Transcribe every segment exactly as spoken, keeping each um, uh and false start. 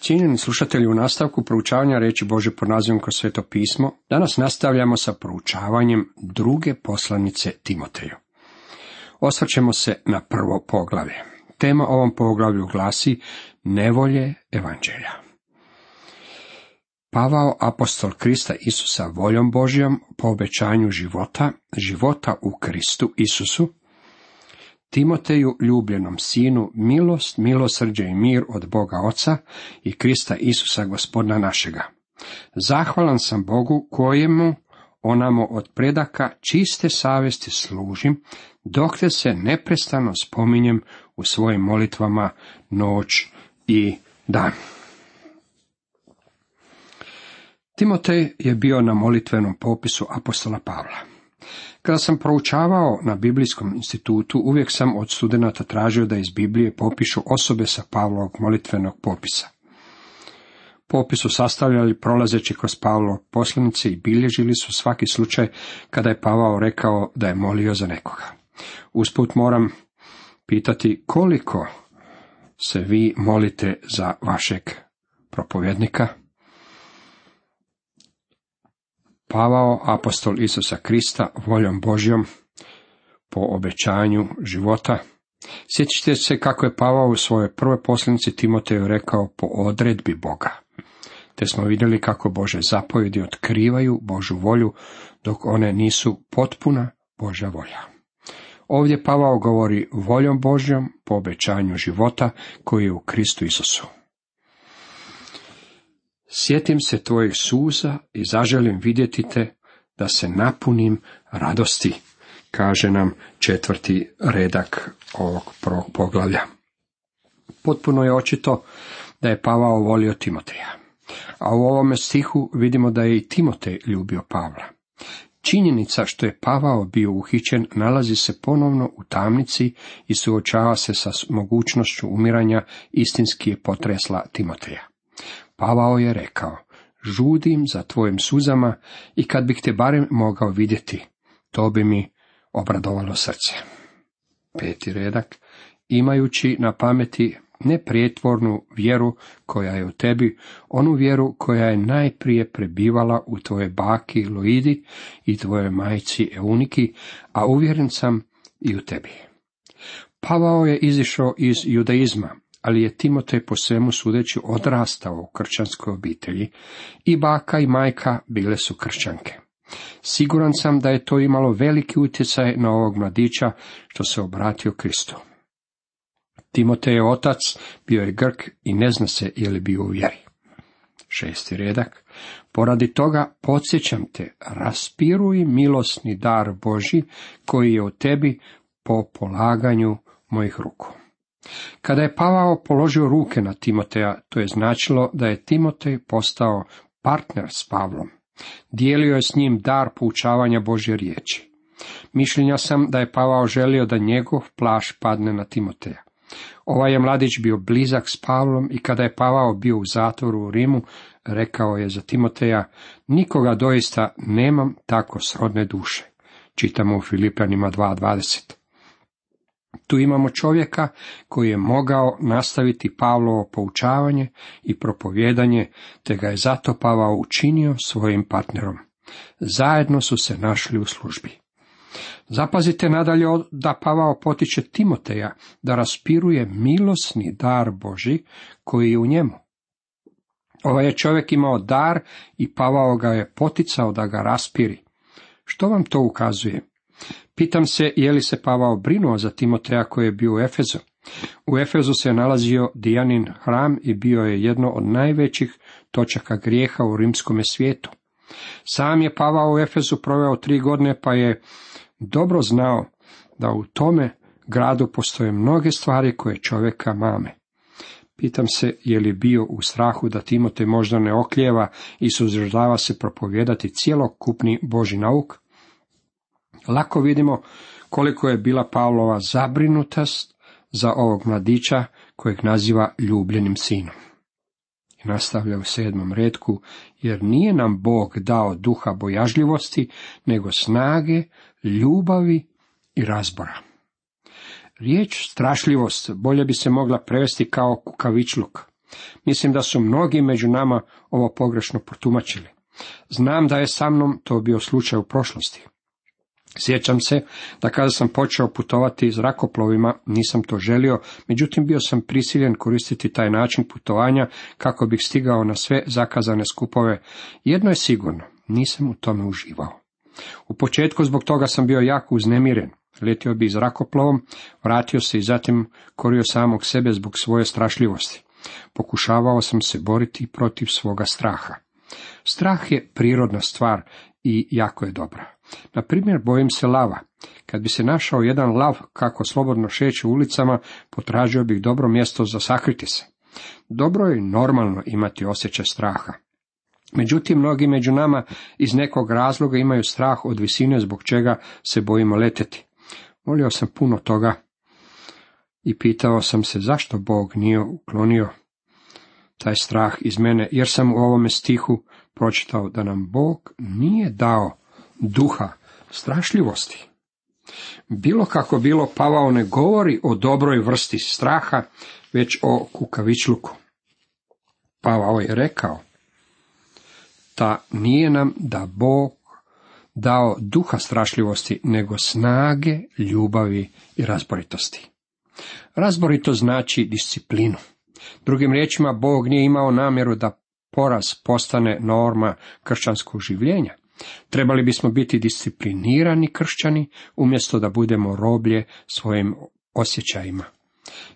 Cijenjeni slušatelji, u nastavku proučavanja riječi Božje pod nazivom Kroz Sveto pismo, danas nastavljamo sa proučavanjem druge poslanice Timoteju. Osvrćemo se na prvo poglavlje. Tema ovom poglavlju glasi nevolje evanđelja. Pavao, apostol Krista Isusa voljom Božjom, po obećanju života, života u Kristu Isusu, Timoteju, ljubljenom sinu, milost, milosrđe i mir od Boga Oca i Krista Isusa Gospodina našega. Zahvalan sam Bogu kojemu onamo od predaka čiste savjesti služim, dok te se neprestano spominjem u svojim molitvama noć i dan. Timotej je bio na molitvenom popisu apostola Pavla. Kada sam proučavao na Biblijskom institutu, uvijek sam od studenata tražio da iz Biblije popišu osobe sa Pavlovog molitvenog popisa. Popis su sastavljali prolazeći kroz Pavlov poslanice i bilježili su svaki slučaj kada je Pavao rekao da je molio za nekoga. Usput moram pitati koliko se vi molite za vašeg propovjednika? Pavao, apostol Isusa Krista, voljom Božjom, po obećanju života. Sjećate se kako je Pavao u svojoj prvoj poslanici Timoteju rekao po odredbi Boga. Te smo vidjeli kako Bože zapovjedi otkrivaju Božju volju, dok one nisu potpuna Božja volja. Ovdje Pavao govori voljom Božjom po obećanju života koji je u Kristu Isusu. Sjetim se tvojih suza i zaželim vidjeti te da se napunim radosti, kaže nam četvrti redak ovog prvog poglavlja. Potpuno je očito da je Pavao volio Timoteja, a u ovome stihu vidimo da je i Timotej ljubio Pavla. Činjenica što je Pavao bio uhićen nalazi se ponovno u tamnici i suočava se sa mogućnošću umiranja, istinski je potresla Timoteja. Pavao je rekao, žudim za tvojim suzama i kad bih te barem mogao vidjeti, to bi mi obradovalo srce. Peti redak, imajući na pameti neprijetvornu vjeru koja je u tebi, onu vjeru koja je najprije prebivala u tvoje baki Loidi i tvoje majci Euniki, a uvjeren sam i u tebi. Pavao je izišao iz judaizma, ali je Timotej po svemu sudeći odrastao u kršćanskoj obitelji i baka i majka bile su kršćanke. Siguran sam da je to imalo veliki utjecaj na ovog mladića što se obratio Kristu. Timotej je otac, bio je Grk i ne zna se je li bio u vjeri. Šesti redak. Poradi toga podsjećam te, raspiruj milosni dar Božji koji je u tebi po polaganju mojih ruku. Kada je Pavao položio ruke na Timoteja, to je značilo da je Timotej postao partner s Pavlom. Dijelio je s njim dar poučavanja Božje riječi. Mišljenja sam da je Pavao želio da njegov plašt padne na Timoteja. Ovaj je mladić bio blizak s Pavlom i kada je Pavao bio u zatvoru u Rimu, rekao je za Timoteja, nikoga doista nemam tako srodne duše. Čitamo u Filipljanima dva dvadeset. Tu imamo čovjeka koji je mogao nastaviti Pavlovo poučavanje i propovijedanje, te ga je zato Pavao učinio svojim partnerom. Zajedno su se našli u službi. Zapazite nadalje da Pavao potiče Timoteja da raspiruje milosni dar Božji koji je u njemu. Ovaj je čovjek imao dar i Pavao ga je poticao da ga raspiri. Što vam to ukazuje? Pitam se je li se Pavao brinuo za Timoteja koji je bio u Efezu. U Efezu se nalazio Dijanin hram i bio je jedno od najvećih točaka grijeha u rimskome svijetu. Sam je Pavao u Efezu proveo tri godine pa je dobro znao da u tome gradu postoje mnoge stvari koje čovjeka mame. Pitam se je li bio u strahu da Timotej možda ne oklijeva i suzdržava se propovijedati cjelokupni Božji nauk. Lako vidimo koliko je bila Pavlova zabrinutost za ovog mladića kojeg naziva ljubljenim sinom. I nastavlja u sedmom retku, jer nije nam Bog dao duha bojažljivosti, nego snage, ljubavi i razbora. Riječ strašljivost bolje bi se mogla prevesti kao kukavičluk. Mislim da su mnogi među nama ovo pogrešno protumačili. Znam da je sa mnom to bio slučaj u prošlosti. Sjećam se da kada sam počeo putovati zrakoplovima, nisam to želio, međutim bio sam prisiljen koristiti taj način putovanja kako bih stigao na sve zakazane skupove. Jedno je sigurno, nisam u tome uživao. U početku zbog toga sam bio jako uznemiren. Letio bi zrakoplovom, vratio se i zatim korio samog sebe zbog svoje strašljivosti. Pokušavao sam se boriti protiv svoga straha. Strah je prirodna stvar i jako je dobra. Na primjer, bojim se lava. Kad bi se našao jedan lav kako slobodno šeće ulicama, potražio bih dobro mjesto za sakriti se. Dobro je normalno imati osjećaj straha. Međutim, mnogi među nama iz nekog razloga imaju strah od visine zbog čega se bojimo letjeti. Molio sam puno toga i pitao sam se zašto Bog nije uklonio taj strah iz mene, jer sam u ovome stihu pročitao da nam Bog nije dao duha strašljivosti. Bilo kako bilo, Pavao ne govori o dobroj vrsti straha, već o kukavičluku. Pavao je rekao da nije nam da Bog dao duha strašljivosti, nego snage, ljubavi i razboritosti. Razborito znači disciplinu. Drugim riječima, Bog nije imao namjeru da poraz postane norma kršćanskog življenja. Trebali bismo biti disciplinirani kršćani, umjesto da budemo roblje svojim osjećajima.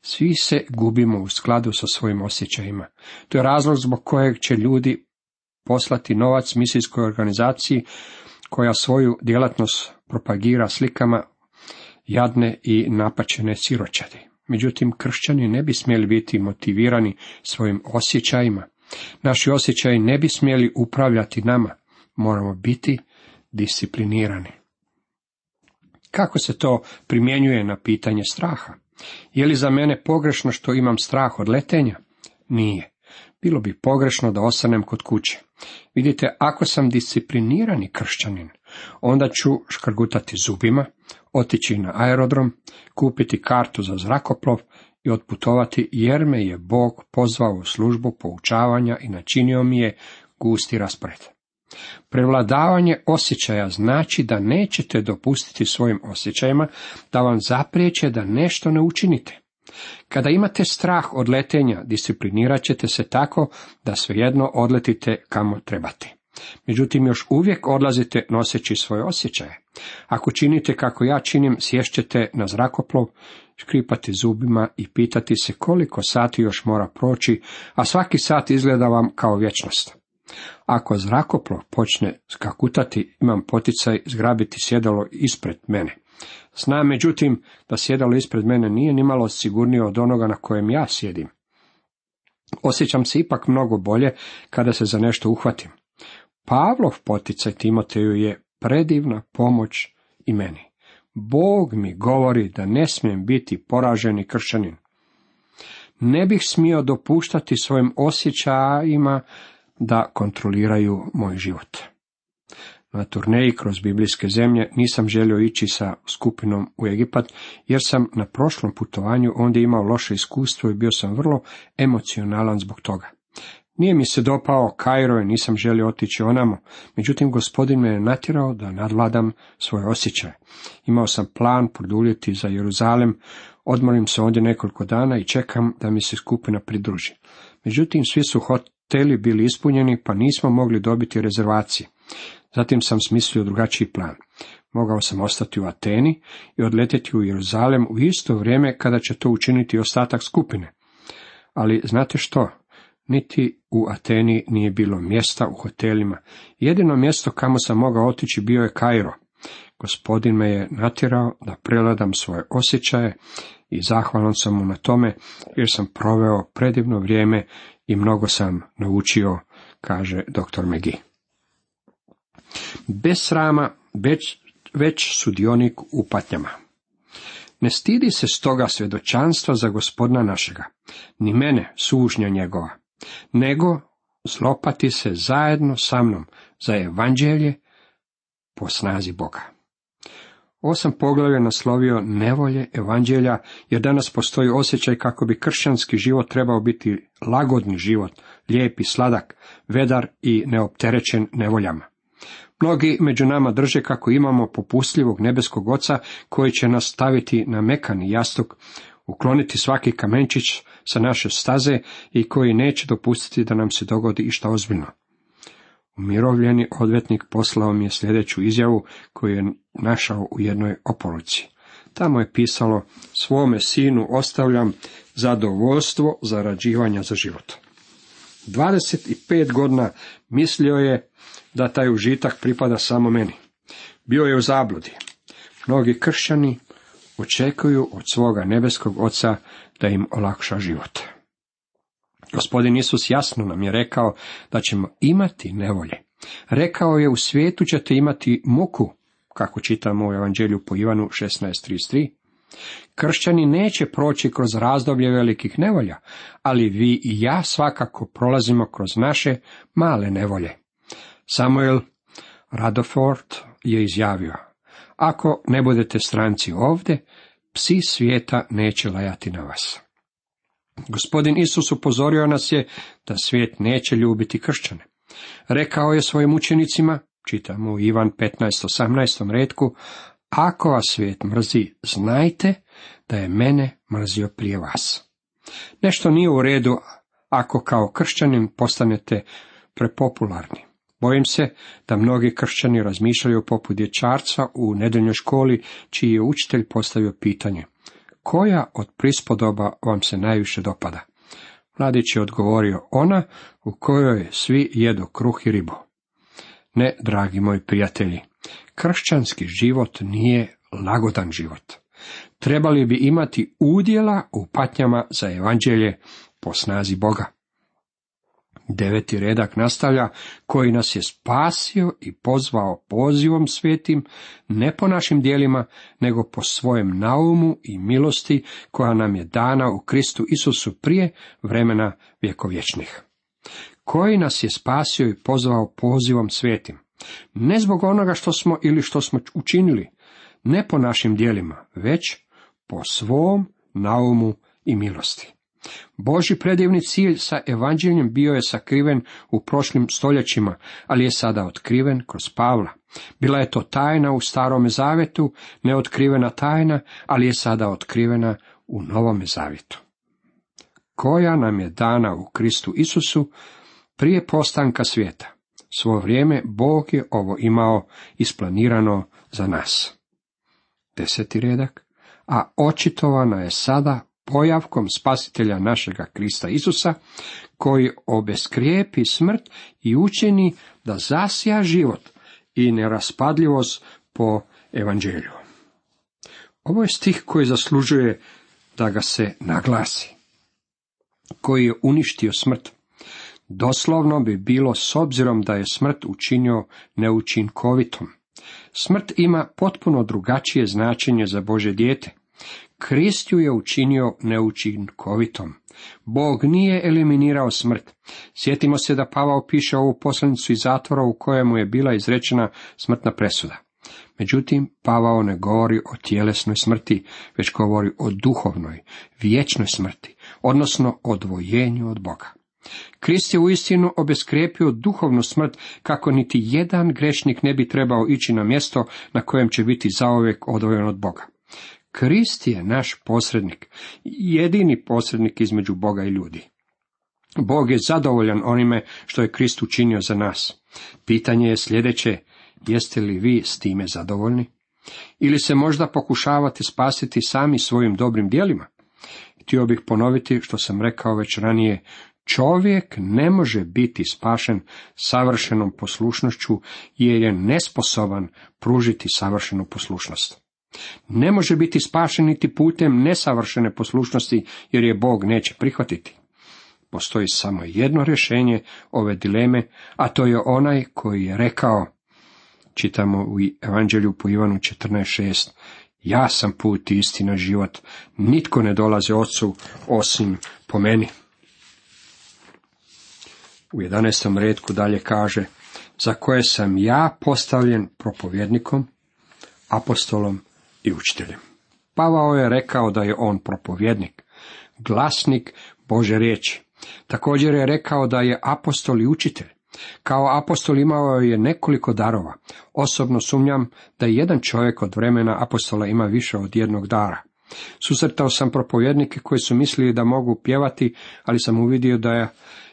Svi se gubimo u skladu sa svojim osjećajima. To je razlog zbog kojeg će ljudi poslati novac misijskoj organizaciji koja svoju djelatnost propagira slikama jadne i napačene siročadi. Međutim, kršćani ne bi smjeli biti motivirani svojim osjećajima. Naši osjećaji ne bi smjeli upravljati nama. Moramo biti disciplinirani. Kako se to primjenjuje na pitanje straha? Je li za mene pogrešno što imam strah od letenja? Nije. Bilo bi pogrešno da ostanem kod kuće. Vidite, ako sam disciplinirani kršćanin, onda ću škrgutati zubima, otići na aerodrom, kupiti kartu za zrakoplov i otputovati, jer me je Bog pozvao u službu poučavanja i načinio mi je gusti raspored. Prevladavanje osjećaja znači da nećete dopustiti svojim osjećajima da vam zapriječe da nešto ne učinite. Kada imate strah od letenja, disciplinirat ćete se tako da svejedno odletite kamo trebate. Međutim, još uvijek odlazite noseći svoje osjećaje. Ako činite kako ja činim, sješćete na zrakoplov, škripati zubima i pitati se koliko sati još mora proći, a svaki sat izgleda vam kao vječnost. Ako zrakoplov počne skakutati, imam poticaj zgrabiti sjedalo ispred mene. Znam, međutim, da sjedalo ispred mene nije nimalo sigurnije od onoga na kojem ja sjedim. Osjećam se ipak mnogo bolje kada se za nešto uhvatim. Pavlov poticaj Timoteju je predivna pomoć i meni. Bog mi govori da ne smijem biti poraženi kršćanin. Ne bih smio dopuštati svojim osjećajima da kontroliraju moj život. Na turneji kroz biblijske zemlje nisam želio ići sa skupinom u Egipat, jer sam na prošlom putovanju ondje imao loše iskustvo i bio sam vrlo emocionalan zbog toga. Nije mi se dopao Kairo i nisam želio otići onamo, međutim Gospodin me je natjerao da nadvladam svoje osjećaje. Imao sam plan produljiti za Jeruzalem, odmorim se ondje nekoliko dana i čekam da mi se skupina pridruži. Međutim, svi su hoteli bili ispunjeni, pa nismo mogli dobiti rezervacije. Zatim sam smislio drugačiji plan. Mogao sam ostati u Ateni i odletjeti u Jeruzalem u isto vrijeme kada će to učiniti ostatak skupine. Ali znate što? Niti u Ateni nije bilo mjesta u hotelima. Jedino mjesto kamo sam mogao otići bio je Kairo. Gospodin me je natjerao da prevladam svoje osjećaje i zahvalan sam mu na tome, jer sam proveo predivno vrijeme i mnogo sam naučio, kaže doktor McGee. Bez srama, već, već sudionik u patnjama. Ne stidi se stoga svjedočanstva za Gospodina našega, ni mene, sužnja njegova, nego zlopati se zajedno sa mnom za evanđelje po snazi Boga. Ovo sam poglavlje naslovio nevolje evanđelja, jer danas postoji osjećaj kako bi kršćanski život trebao biti lagodni život, lijep i sladak, vedar i neopterećen nevoljama. Mnogi među nama drže kako imamo popustljivog nebeskog Oca koji će nas staviti na mekani jastuk, ukloniti svaki kamenčić sa naše staze i koji neće dopustiti da nam se dogodi išta ozbiljno. Umirovljeni odvetnik poslao mi je sljedeću izjavu koju je našao u jednoj oporuci. Tamo je pisalo: svome sinu ostavljam zadovoljstvo zarađivanja za život. dvadeset pet godina mislio je da taj užitak pripada samo meni. Bio je u zabludi. Mnogi kršćani očekuju od svoga nebeskog Oca da im olakša život. Gospodin Isus jasno nam je rekao da ćemo imati nevolje. Rekao je: u svijetu ćete imati muku, kako čitamo u Evanđelju po Ivanu šesnaest trideset tri. Kršćani neće proći kroz razdoblje velikih nevolja, ali vi i ja svakako prolazimo kroz naše male nevolje. Samuel Rutherford je izjavio: ako ne budete stranci ovdje, psi svijeta neće lajati na vas. Gospodin Isus upozorio nas je da svijet neće ljubiti kršćane. Rekao je svojim učenicima, čitamo u Ivan petnaest osamnaest retku: ako vas svijet mrzi, znajte da je mene mrzio prije vas. Nešto nije u redu ako kao kršćanin postanete prepopularni. Bojim se da mnogi kršćani razmišljaju poput dječarca u nedeljnoj školi, čiji je učitelj postavio pitanje: koja od prispodoba vam se najviše dopada? Mladić je odgovorio: ona u kojoj svi jedu kruh i ribu. Ne, dragi moji prijatelji, kršćanski život nije lagodan život. Trebali bi imati udjela u patnjama za evanđelje po snazi Boga. Deveti redak nastavlja: koji nas je spasio i pozvao pozivom svetim, ne po našim djelima, nego po svojem naumu i milosti koja nam je dana u Kristu Isusu prije vremena vjekovječnih. Koji nas je spasio i pozvao pozivom svetim, ne zbog onoga što smo ili što smo učinili, ne po našim djelima, već po svom naumu i milosti. Božji predivni cilj sa evanđeljem bio je sakriven u prošlim stoljećima, ali je sada otkriven kroz Pavla. Bila je to tajna u Starome zavjetu, neotkrivena tajna, ali je sada otkrivena u Novome zavjetu. Koja nam je dana u Kristu Isusu prije postanka svijeta. Svo vrijeme Bog je ovo imao isplanirano za nas. Deseti redak. A očitovana je sada pojavkom spasitelja našega Krista Isusa, koji obeskrijepi smrt i učini da zasija život i neraspadljivost po evanđelju. Ovo je stih koji zaslužuje da ga se naglasi. Koji je uništio smrt. Doslovno bi bilo s obzirom da je smrt učinio neučinkovitom. Smrt ima potpuno drugačije značenje za Božje dijete. Krist ju je učinio neučinkovitom. Bog nije eliminirao smrt. Sjetimo se da Pavao piše ovu poslanicu iz zatvora u kojemu je bila izrečena smrtna presuda. Međutim, Pavao ne govori o tjelesnoj smrti, već govori o duhovnoj, vječnoj smrti, odnosno odvojenju od Boga. Krist je uistinu obeskrijepio duhovnu smrt kako niti jedan grešnik ne bi trebao ići na mjesto na kojem će biti zauvijek odvojen od Boga. Krist je naš posrednik, jedini posrednik između Boga i ljudi. Bog je zadovoljan onime što je Krist učinio za nas. Pitanje je sljedeće: jeste li vi s time zadovoljni? Ili se možda pokušavate spasiti sami svojim dobrim djelima? Htio bih ponoviti što sam rekao već ranije: čovjek ne može biti spašen savršenom poslušnošću jer je nesposoban pružiti savršenu poslušnost. Ne može biti spašen niti putem nesavršene poslušnosti jer je Bog neće prihvatiti. Postoji samo jedno rješenje ove dileme, a to je onaj koji je rekao, čitamo u Evanđelju po Ivanu četrnaest šest: ja sam put, istina, život, nitko ne dolazi Ocu osim po meni. U jedanaestom retku dalje kaže: za koje sam ja postavljen propovjednikom, apostolom, i učiteljem. Pavao je rekao da je on propovjednik, glasnik Božje riječi. Također je rekao da je apostol i učitelj. Kao apostol imao je nekoliko darova. Osobno sumnjam da jedan čovjek od vremena apostola ima više od jednog dara. Susretao sam propovjednike koji su mislili da mogu pjevati, ali sam uvidio da je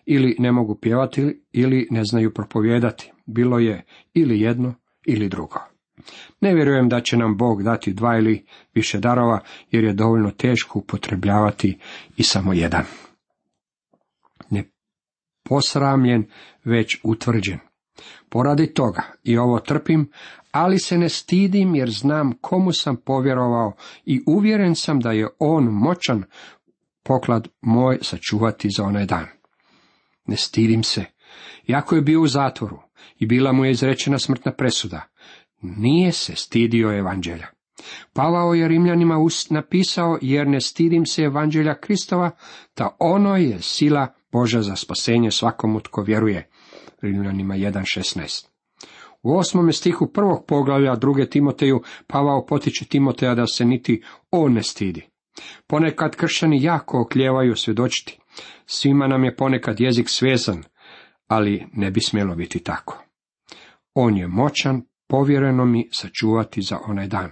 ili ne mogu pjevati ili ne znaju propovijedati. Bilo je ili jedno ili drugo. Ne vjerujem da će nam Bog dati dva ili više darova, jer je dovoljno teško upotrebljavati i samo jedan. Ne posramljen, već utvrđen. Poradi toga i ovo trpim, ali se ne stidim jer znam komu sam povjerovao i uvjeren sam da je on moćan poklad moj sačuvati za onaj dan. Ne stidim se, iako je bio u zatvoru i bila mu je izrečena smrtna presuda, nije se stidio evanđelja. Pavao je Rimljanima napisao, jer ne stidim se evanđelja Kristova, ta ono je sila Božja za spasenje svakomu tko vjeruje. Rimljanima jedan šesnaest. U osmome stihu prvog poglavlja druge Timoteju Pavao potiče Timoteja da se niti on ne stidi. Ponekad kršćani jako oklijevaju svjedočiti. Svima nam je ponekad jezik svezan, ali ne bi smjelo biti tako. On je moćan, povjereno mi sačuvati za onaj dan.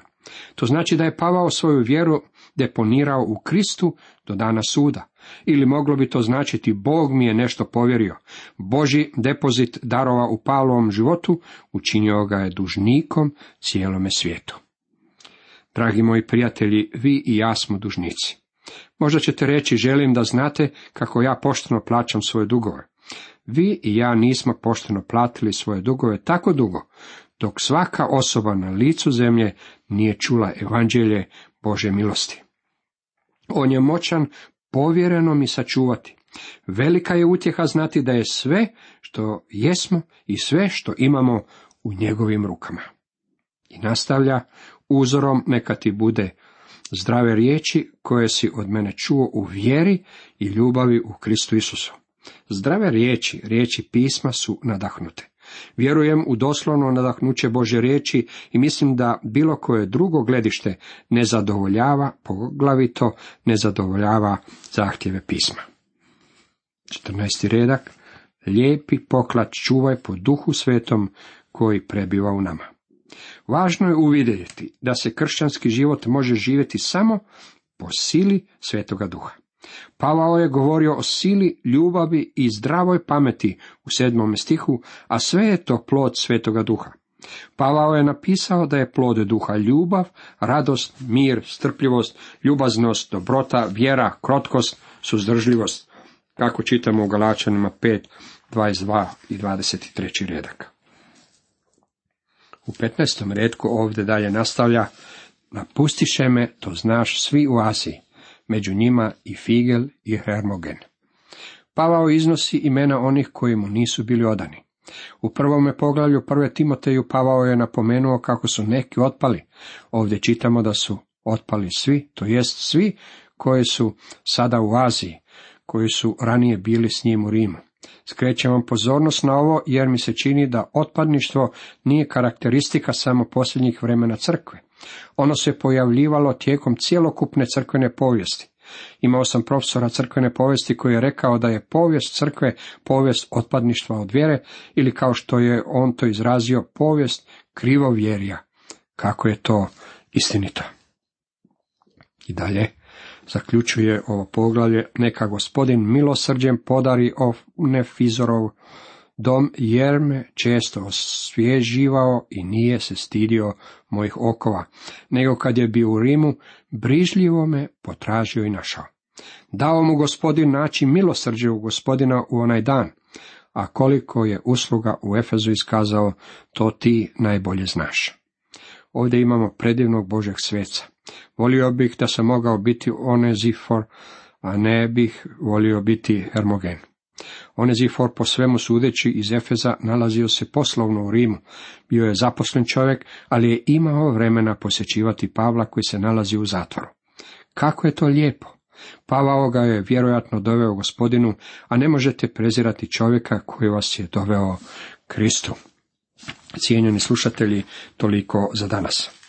To znači da je Pavao svoju vjeru deponirao u Kristu do dana suda. Ili moglo bi to značiti Bog mi je nešto povjerio. Božji depozit darova u Pavlovom životu učinio ga je dužnikom cijelome svijetu. Dragi moji prijatelji, vi i ja smo dužnici. Možda ćete reći, želim da znate kako ja pošteno plaćam svoje dugove. Vi i ja nismo pošteno platili svoje dugove tako dugo, dok svaka osoba na licu zemlje nije čula evanđelje Božje milosti. On je moćan povjereno mi sačuvati. Velika je utjeha znati da je sve što jesmo i sve što imamo u njegovim rukama. I nastavlja, uzorom neka ti bude zdrave riječi koje si od mene čuo u vjeri i ljubavi u Kristu Isusu. Zdrave riječi, riječi pisma su nadahnute. Vjerujem u doslovno nadahnuće Božje riječi i mislim da bilo koje drugo gledište ne zadovoljava, poglavito ne zadovoljava zahtjeve pisma. četrnaesti redak. Lijepi poklad čuvaj po duhu svetom koji prebiva u nama. Važno je uvidjeti da se kršćanski život može živjeti samo po sili Svetoga Duha. Pavao je govorio o sili, ljubavi i zdravoj pameti u sedmom stihu, a sve je to plod Svetoga Duha. Pavao je napisao da je plod duha ljubav, radost, mir, strpljivost, ljubaznost, dobrota, vjera, krotkost, suzdržljivost, kako čitamo u Galačanima pet, dvadeset dva i dvadeset tri redak. U petnaestom redku ovdje dalje nastavlja, napustiše me, to znaš, svi u Aziji, među njima i Figel i Hermogen. Pavao iznosi imena onih koji mu nisu bili odani. U prvome poglavlju prve Timoteju Pavao je napomenuo kako su neki otpali. Ovdje čitamo da su otpali svi, to jest svi koji su sada u Aziji, koji su ranije bili s njim u Rimu. Skrećem vam pozornost na ovo jer mi se čini da otpadništvo nije karakteristika samo posljednjih vremena crkve. Ono se pojavljivalo tijekom cjelokupne crkvene povijesti. Imao sam profesora crkvene povijesti koji je rekao da je povijest crkve povijest otpadništva od vjere, ili kao što je on to izrazio, povijest krivovjerja. Kako je to istinito. I dalje zaključuje ovo poglavlje, neka gospodin milosrđem podari Onefizorov dom, jer me često osvježivao i nije se stidio mojih okova, nego kad je bio u Rimu, brižljivo me potražio i našao. Dao mu gospodin naći milosrđe u gospodina u onaj dan, a koliko je usluga u Efezu iskazao, to ti najbolje znaš. Ovdje imamo predivnog Božeg sveca. Volio bih da sam mogao biti Onezifor, a ne bih volio biti Hermogen. Onezifor, po svemu sudeći iz Efeza, nalazio se poslovno u Rimu. Bio je zaposlen čovjek, ali je imao vremena posjećivati Pavla koji se nalazi u zatvoru. Kako je to lijepo! Pavao ga je vjerojatno doveo gospodinu, a ne možete prezirati čovjeka koji vas je doveo Kristu. Cijenjeni slušatelji, toliko za danas.